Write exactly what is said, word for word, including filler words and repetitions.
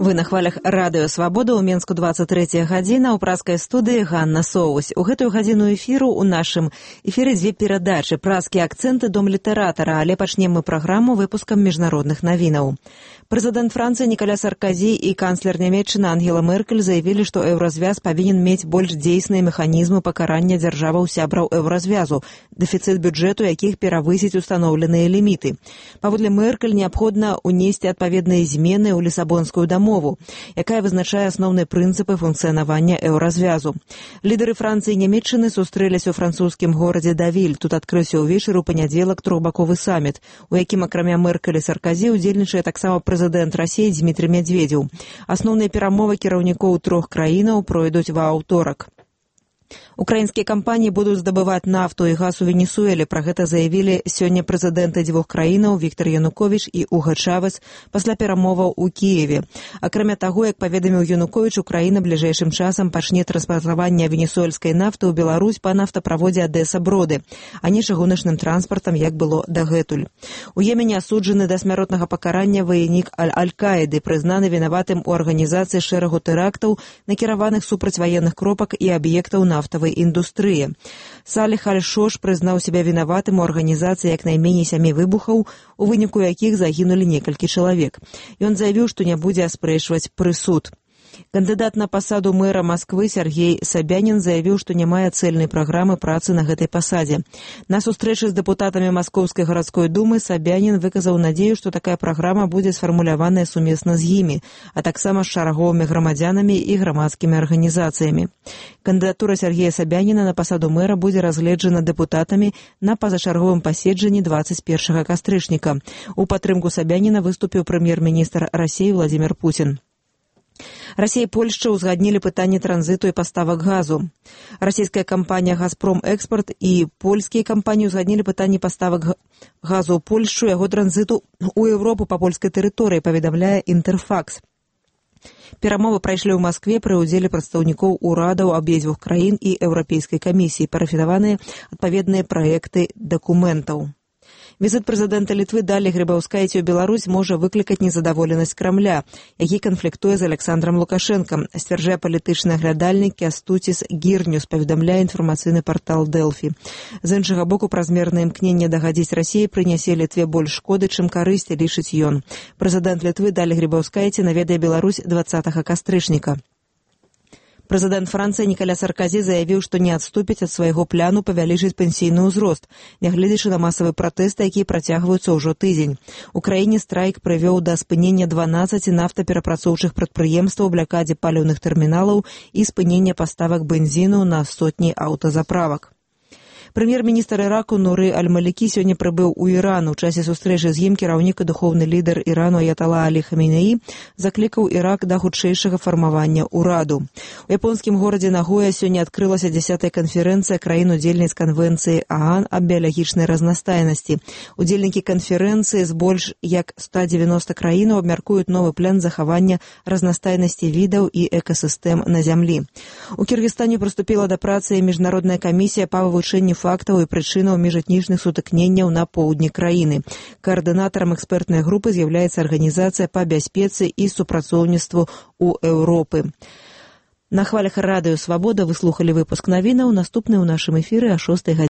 Вы на хвалях радыё Свабода, ў Менску двадцать третья гадзіна, ў праскай студыі Ганна Соус. У гэтую гадзіну эфіру ў нашым эфіры дзве перадачы, праскія акцэнты дом літаратара, але пачнем мы праграму выпускам міжнародных навінаў. Прэзідэнт Францыі Нікаля Сарказі і канцлер Нямецчыны Ангела Меркель заявілі, што еўразвяз павінен мець больш дзейсныя механізмы пакарання дзяржаваў-сябраў еўразвязу, дэфіцыт бюджэту якіх перавысіць устаноўленыя ліміты. Паводле Меркель неабходна ўнесці адпаведныя змены ў лісабонскую дамову, якая вызначае асноўныя прынцыпы функцыянавання еўразвязу. Лідары Францыі і Нямецчыны сустрэліся ў французскім горадзе Давіль. Тут адкрыўся ўвечары ў панядзелак трохбаковы саміт, у якім акрамя Меркель і Сарказі удзельнічае таксама прэзідэнт Расіі Дзмітрый Медведзеў. Асноўныя перамовы кіраўнікоў трох краінаў пройдуць ва аўторак. Украінскія кампаніі будуць здабываць нафту і газ у Венесуэле. Пра гэта заявілі сёння прэзідэнты дзвюх краінаў Віктор Януковіч і Уга Чавес пасля перамоваў у Кіеве. Акрамя таго, як паведаміў Януковіч, Украіна бліжэйшым часам пачне транспартаванне венесуэльскай нафты ў Беларусь па нафтаправодзе Адэса-Броды, а не чыгуначным транспартам, як было дагэтуль. У Йемене асуджаны да смяротнага пакарання ваенік Аль-Каіды, прызнаны вінаватым у арганізацыі шэрагу тэрактаў, накіраваных супраць ваенных кропак і аб'ектаў нафтавай індустрыі. Саліх Аль-Шош прызнаў сябе вінаватым у арганізацыі як найменей сямі выбухаў, у выніку якіх загінулі некалькі чалавек. Ён заявіў, што не будзе аспрэчваць прысуд. Кандыдат на пасаду мэра Масквы Сергей Собянин заявіў, што не мае цэльнай праграмы працы на гэтай пасадзе. На сустрэчы з дэпутатамі Маскоўскай гарадской думы Собянин выказаў надзею, што такая праграма будзе сфармуляваная сумесна з імі, а таксама з шараговымі грамадзянамі і грамадскімі арганізацыямі. Кандыдатура Сергея Собянина на пасаду мэра будзе разгледжана дэпутатамі на пазачарговым паседжанні двадцать першага кастрычніка. У падтрымку Собянина выступіў прэм'ер-міністр Расіі Владимир Путин. Расія і Польшча ўзгаднілі пытанне транзіту і паставак газу. Расійская кампанія «Газпром Экспорт» і польскія кампаніі ўзгаднілі пытанне паставак газу ў Польшчу, яго транзіту ў Еўропу па польскай тэрыторыі, паведамляе Інтэрфакс. Перамовы прайшлі ў Маскве пры ўдзеле прадстаўнікоў урадаў абедзвюх краін і Еўрапейскай камісіі, парафінаваныя адпаведныя праекты дакументаў. Візіт прэзідэнта Літвы Далі Грыбаўскайце ў Беларусь можа выклікаць незадаволенасць Крамля, які канфліктуе з Александром Лукашэнкам, сцвярджае палітычны аглядальнік Кястуціс Гірнюс, паведамляе інфармацыйны партал Дэлфі. З іншага боку, празмернае імкненне дагадзіць Расіі прынясе Літве больш шкоды, чым карысці, лічыць ён. Прэзідэнт Літвы Далі Грыбаўскайце наведае Беларусь двадцатага кастрычніка. Прэзідэнт Францыі Нікаля Сарказі заявіў, што не адступіць ад свайго пляну павялічыць пенсійны ўзрост, нягледзячы на масавыя пратэсты, якія працягваюцца ўжо тыдзень. У краіне страйк прывёў да спынення дванаццаці нафтаперапрацоўчых прадпрыемстваў, блякадзе паліўных тэрміналаў і спынення паставак бензіну на сотні аўтазаправак. Прэм'ер-міністр Іраку Нуры Аль-Малікі сёння прыбыў у Іран. У часе сустрэчы з ім кіраўнік і духоўны лідар Ірану Аятала Алі Хаменеі заклікаў Ірак да хутчэйшага фармавання ўраду. У японскім горадзе Нагоя сёння адкрылася дзясятая канферэнцыя краін-удзельніц канвенцыі ААН аб біялагічнай разнастайнасці. Удзельнікі канферэнцыі з больш як ста дзевяноста краінаў абмяркуюць новы план захавання разнастайнасці відаў і экасістэм на зямлі. У Кіргізстане прыступіла да працы міжнародная камісія па вывучэнні фактаў і прычынаў міжэтнічных сутыкненняў на поўдні краіны. Каардынатарам экспертнай групы з'яўляецца арганізацыя па бяспецы і супрацоўніцтву ў Еўропы. На хвалях радыё Свабода вы слухалі выпуск навінаў, наступны ў нашым эфіры о шостай гадзіне.